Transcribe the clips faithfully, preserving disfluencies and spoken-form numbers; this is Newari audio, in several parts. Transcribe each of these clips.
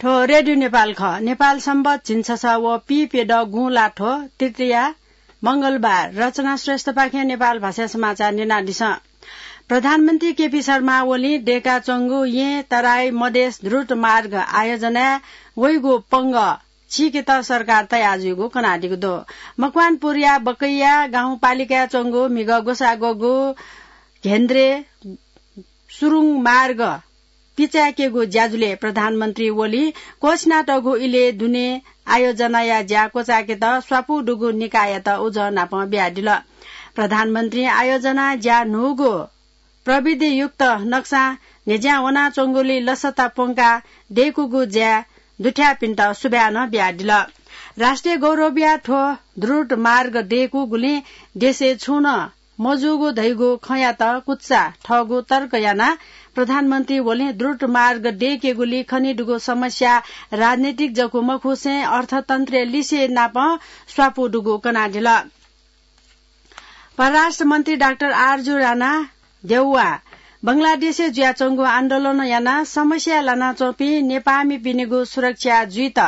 थ्व रेडियो नेपाल खः। नेपाल संवत झिंछसः व पीप्यदँ गुंलाथ्व तृतीया मंगलबार। रचना श्रेष्ठपाखें नेपाल भाषाया समाचार न्यनादिसँ। प्रधानमन्त्री केपी शर्मा ओलीं दय्काच्वंगु येँ तराई मधेस द्रुत मार्ग आयोजनाय् वइगु पंगः चीकेत सरकार तयार जुइगु कनादीगु दु। मकवानपुरया बकैया गाउँपालिकाय् च्वंगु म्हिगः ग्वसाः ग्वःगु घेन्द्रे सुरुङ मार्ग पिचाय्केगु ज्याझ्वलय् प्रधानमन्त्री ओलीं क्वःछिनातःगु इलय् दुने आयोजनाया ज्या क्वचाय्केत स्वापू दुगु निकाययात उजं नापं बियादिल। प्रधानमन्त्रीं आयोजना ज्या न्हूगु प्रविधियुक्त नक्सां न्ह्यज्यां वनाच्वंगुलिइ लसता प्वंकाः दय्कूगु ज्याय् दुथ्याःपिन्त सुभाय् नं बियादिल। राष्ट्रिय गौरवया थ्व द्रुत मार्ग दय्कूगुलिं देशय् छुं नं मजूगु धइगु खँयात कुचा थःगु तर्क यानाः प्रधानमन्त्री ओलीं द्रुत मार्ग दय्केगुलिइ खनीदुगु समस्या राजनीतिक जक मखुसें अर्थतन्त्रया लिसे नापं स्वापू दुगु कनादिल। परराष्ट्र मन्त्री डाक्टर आरजु राणा देउवा बंगलादेशय् जुयाच्वंगु आन्दोलन यानाः समस्या लानाच्वंपिं नेपाःमिपिनिगु सुरक्षा जुइत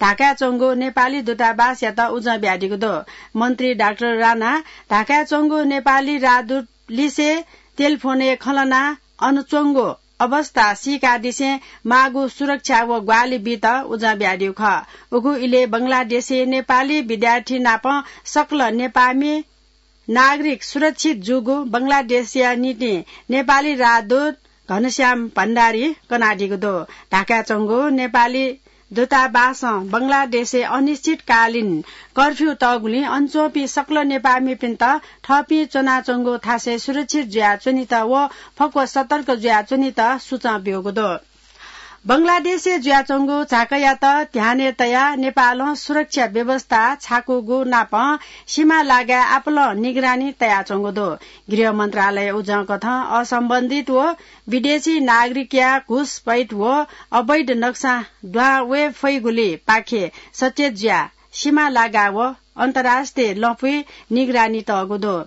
ढाकाय् च्वंगु नेपाली दूतावासयात उजं बियादीगु दु। मन्त्री डाक्टर राणा ढाकाय् च्वंगु नेपाली राजदूत लिसे टेलिफोनय् खँ ल्हानाः अन च्वंगु अवस्था सीकादिसें माःगु सुरक्षा व ग्वाहालि बीत उजं बियादीगु खः। उगु इलय् बंगलादेशय् नेपाली विद्यार्थी नाप सकल नेपाःमि नागरिक सुरक्षित जूगु बंगलादेशया निंतिं नेपाली राजदूत घनश्याम भण्डारीं कनादीगु दु। ढाकाय् च्वंगु नेपाली दूतावासं बंगलादेशय् अनिश्चितकालीन कर्फ्यू तःगुलिं अन च्वंपिं सकल नेपाःमिपिन्त थःपिं च्वनाच्वंगु थासय् सुरक्षित जुयाच्वनेत व फक्व सतर्क जुयाच्वनेत सुचं ब्यूगु दु। बंगलादेशय् जुयाच्वंगु झाँक्रीयात ध्यानय् तयाः नेपालं सुरक्षा व्यवस्था छाकूगु नाप सीमा लागाय् आपालं निगरानी तयाच्वंगु दु। गृह मन्त्रालय उजंकथं असम्बन्धित व विदेशी नागरिकया घुसपैठ व अवैध नक्सां दुहां वये फइगुलिपाखे सचेत जुयाः सीमा लागा व अन्तर्राष्ट्रिय लँपुइ निगरानी तःगु दु।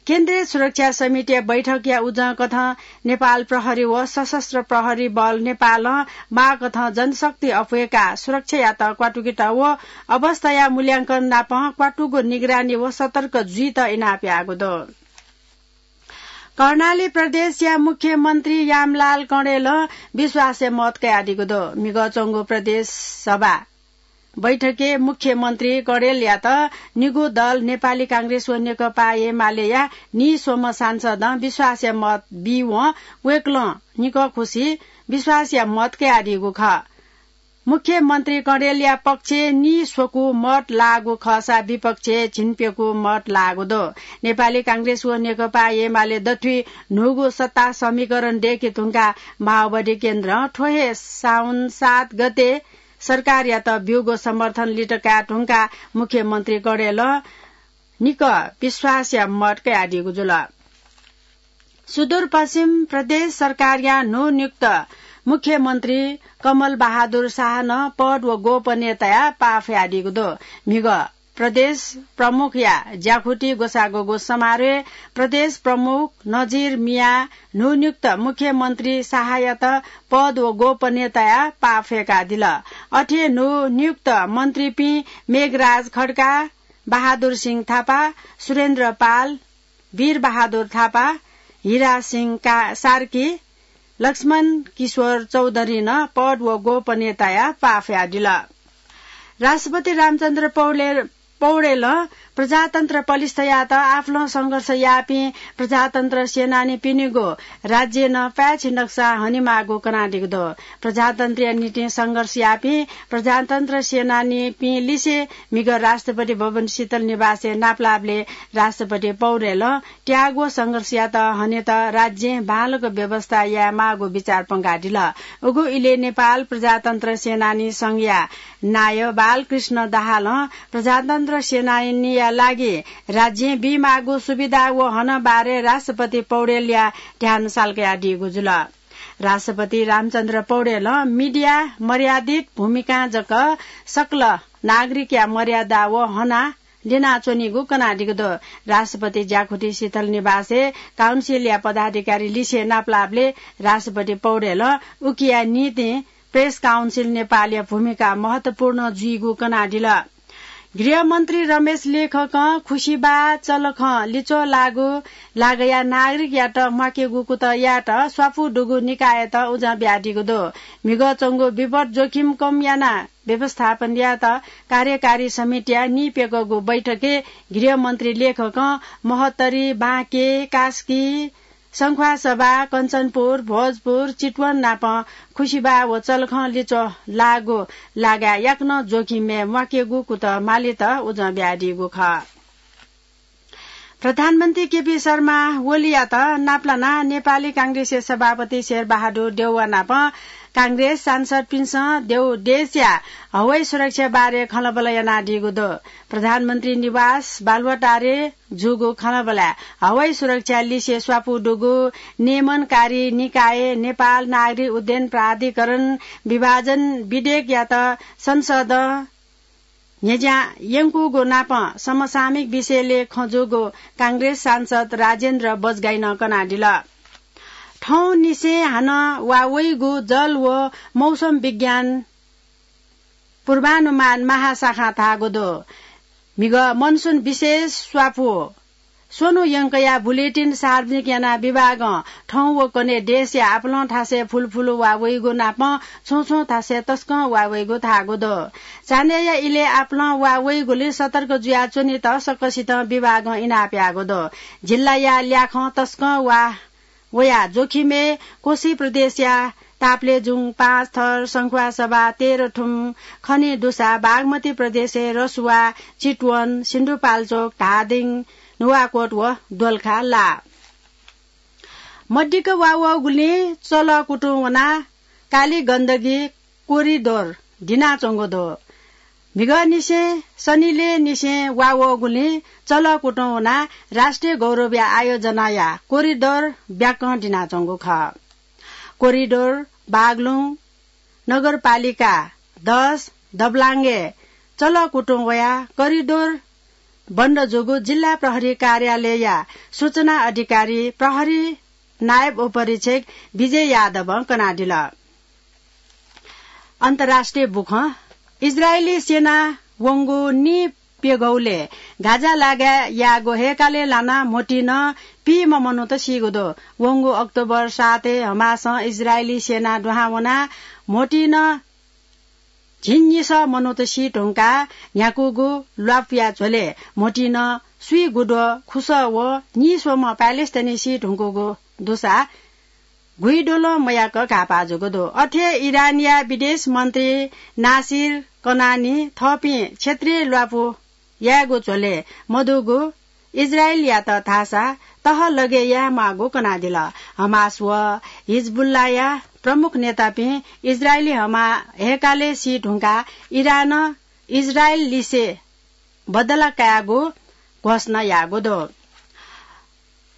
केन्द्रीय सुरक्षा समितिया बैठकया उजंकथं नेपाल प्रहरी व सशस्त्र प्रहरी बल नेपालं माःकथं जनशक्ति अप्वय्काः सुरक्षायात क्वातुकेत व अवस्थाया मूल्यांकन नाप क्वातुगु निगरानी व सतर्क जुइत इनाप याःगु दु। कर्णाली प्रदेशया मुख्यमन्त्री यामलाल कणेलं विश्वासया मत कयादीगु दु। म्हिगः च्वंगु प्रदेश सभा बैठकय् मुख्यमन्त्री कणेलयात निगू दल नेपाली कांग्रेस व नेकपा एमालेया नीस्वम्ह सांसदं विश्वासया मत बीवं वय्कलं निकः खुसि विश्वासया मत कयादीगु खः। मुख्यमन्त्री कणेलया पक्षय् नीस्वकू मत लाःगु खःसा विपक्षय् झिंप्यकू मत लाःगु दु। नेपाली कांग्रेस व नेकपा एमाले दथुइ न्हूगु सत्ता समीकरण दय्के धुंकाः माओवादी केन्द्रं थ्व हे साउन सात गते सरकारयात ब्यूगु समर्थन लित काये धुंकाः मुख्यमन्त्री कणेलं निकः विश्वासया मत कयादीगु जुल। सुदूरपश्चिम प्रदेश सरकारया न्हूनियुक्त मुख्यमन्त्री कमल बहादुर शाहनं पद व गोपनीयताया पाः फ्यादीगु दु। म्हिगः प्रदेश प्रमुखया ज्याखुति ग्वसाः ग्वःगु समारोहय् प्रदेश प्रमुख नजिर मियां न्हूनियुक्त मुख्यमन्त्री शाहयात पद व गोपनीयताया पाः फ्यंकादिल। अथे न्हूनियुक्त मन्त्रीपिं मेघराज खड्का, बहादुर सिंह थापा, सुरेन्द्र पाल, वीर बहादुर थापा, हिरा सिंह का-, सार्की, लक्ष्मण किशोर चौधरीं नं पद व गोपनीयताया पाः फ्यादिल। राष्ट्रपति रामचन्द्र पौडेल, पौडेलं प्रजातन्त्र पलिस्था यायेत आपालं संघर्ष याःपिं प्रजातन्त्र सेनानीपिनिगु राज्यय् नं पाय्छि नक्सा हनेमाःगु कनादीगु दु। प्रजातन्त्रया निंतिं संघर्ष याःपिं प्रजातन्त्र सेनानीपिं लिसे म्हिगः राष्ट्रपति भवन शीतल निवासय् नापलाःबलय् राष्ट्रपति पौडेलं त्याग व संघर्षयात हनेत राज्यय् बांलाक व्यवस्था यायेमाःगु बिचाः प्वंकादिल। उगु इलय् नेपाल प्रजातन्त्र सेनानी संघया नायः बालकृष्ण दाहालं प्रजातन्त्र सेनानीया लागि राज्यय् बीमाःगु सुविधा व हनं बारे राष्ट्रपति पौडेलया ध्यान साल्कयादीगु जुल। राष्ट्रपति रामचन्द्र पौडेलं मिडिया मर्यादित भूमिकां जक सकल नागरिकया मर्यादा व हना ल्यनाच्वनीगु कनादीगु दु। राष्ट्रपति ज्याखुति शीतल निवासय् काउन्सिलया पदाधिकारी लिसे नापलाःबलय् राष्ट्रपति पौडेलं उकिया निंतिं प्रेस काउन्सिल नेपालया भूमिका महत्वपूर्ण जुइगु कनादिल। गृहमन्त्री रमेश लेखकं खुसिबा चलखं लिच्वः लाःगु लागया नागरिकयात म्वाकेगु कुतः यायेत स्वापू दुगु निकाययात उजं बियादीगु दु। म्हिगः च्वंगु विपद जोखिम कम यानाः व्यवस्थापन यायेत कार्यकारी समितिया निप्यकःगु बैठकय् गृहमन्त्री लेखकं महोत्तरी, बाँके, कास्की, सङ्ख्वासभा, कञ्चनपुर, भोजपुर, चितवन नाप खुसिबा व चलखं लिच्वः लाःगु लागाय् याकनं जोखिमय् म्वाकेगु कुतः मालेत उजं बियादीगु खः। प्रधानमन्त्री केपी शर्मा ओलीयात नापलानाः नेपाली कांग्रेसया सभापति शेरबहादुर देउवा नाप कांग्रेस सांसदपिन्सं देउ देशया हवाई सुरक्षा बारे खँल्हाबल्हा यानादीगु दु। प्रधानमन्त्री निवास बालुवाटारय् जूगु खँल्हाबल्हाय् हवाई सुरक्षा लिसे स्वापू दुगु नियमनकारी निकाय नेपाल नागरिक उड्डयन प्राधिकरण विभाजन विधेयकयात संसदं न्ह्यज्यां यंकूगु नाप समसामयिक विषयलय् खँ जूगु कांग्रेस सांसद राजेन्द्र बजगाईनं कनादिल। थौंनिसें हानं वा वइगु जल व मौसम विज्ञान पूर्वानुमान महाशाखां धाःगु दु। म्हिगः मनसुन विशेष स्वापू स्वन्हु यंकया बुलेटिन सार्वजनिक यानाः विभागं थौं व कन्हय् देशया आपालं थासय् फुलफुलु वा वइगु नाप छुं छुं थासय् तसकं वा वइगु धाःगु दु। चान्हय्‌या इलय् आपालं वा वइगुलिं सतर्क जुयाच्वनेत सकसितं विभागं इनाप याःगु दु। जिल्लाया ल्याखं तसकं वा वया जोखिमय् कोशी प्रदेशया ताप्लेजुङ, पाँचथर, सङ्ख्वासभा, तेह्रथुम, खनेदुसा, बागमती प्रदेशय् रसुवा, चितवन, सिन्धुपाल्चोक, धादिङ, नुवाकोट व दोलखा लाः। मदिक्क वा वःगुलिं चलः कुतुं वनाः काली गण्डकी कोरिडोर दिनाच्वंगु दु। म्हिगःनिसें सनिलय्‌निसें वा वःगुलिं चलः कुतुं वनाः राष्ट्रिय गौरवया आयोजनाया कोरिडोर ब्याकं दिनाच्वंगु खः। कोरिडोर बागलुङ नगरपालिका दस दबलाङ्गय् चलः कुतुं वयाः कोरिडोर बन्द जूगु जिल्ला प्रहरी कार्यालयया सूचना अधिकारी प्रहरी नायब उपरीक्षक विजय यादवं कनादिल। अन्तर्राष्ट्रिय बुखँ। इजरायली सेनां वंगु नीप्यघौलय् गाजा लागाय् याःगु हय्‌कालय् लानाः म्होतिं नं पीम्ह मनूत सीगु दु। वंगु अक्टोबर सातय् हमासं इजरायली सेना दुहां वनाः म्होतिं नं झिंनिसः मनूत सी धुंकाः न्ह्याकूगु ल्वापुया झ्वलय् म्होतिं नं स्वीगुद्वः खुसः व नीस्वम्ह प्यालेस्टाइनी सी धुंकूगु दुसा गुइद्वलं मयाक घाःपाः जूगु दु। अथे इरानया विदेश मन्त्री नासिर कनानी थःपिं क्षेत्रीय ल्वापु यायेगु झ्वलय् मदुगु इजरायलयात धाःसा तहलगय् यायेमाःगु कनादिल। हमास व हिजबुल्लाया प्रमुख नेतापिं इजरायली हमा हय्‌कालय् सी धुंकाः इरानं इजरायल लिसे बदला कायेगु घोषणा याःगु दु।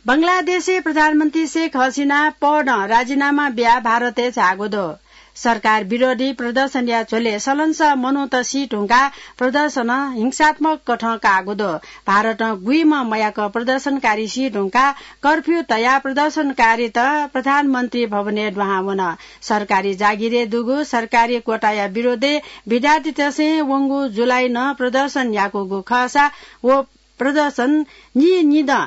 बंगलादेशय् प्रधानमन्त्री शेख हसिना पदं राजीनामा बियाः भारतय् झाःगु दु। सरकार विरोधी प्रदर्शनया झ्वलय् सलंसः मनूत सी धुंकाः प्रदर्शनं हिंसात्मक कथं काःगु दु। भारतं गुइम्ह मयाक प्रदर्शनकारी सी धुंकाः कर्फ्यू तयाः प्रदर्शनकारीत प्रधानमन्त्री भवनय् दुहां वन। सरकारी जागिरय् दुगु सरकारी कोटाया विरोधय् विद्यार्थीतय्‌सं वंगु जुलाईं नं प्रदर्शन याकूगु खःसा व प्रदर्शन नीनिदँ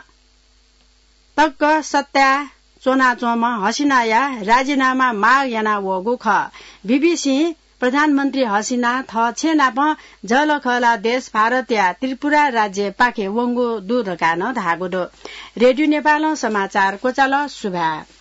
तक सत्ताय् च्वनाच्वंम्ह हसिनाया राजीनामा माग याना वःगु खः। बीबीसीं प्रधानमन्त्री हसिना थः छेँनापं जःलाखःला देश भारतया त्रिपुरा राज्यपाखे वंगु दु धकाः नं धाःगु दु। रेडियो नेपालं समाचार क्वचाल। सुभाय्।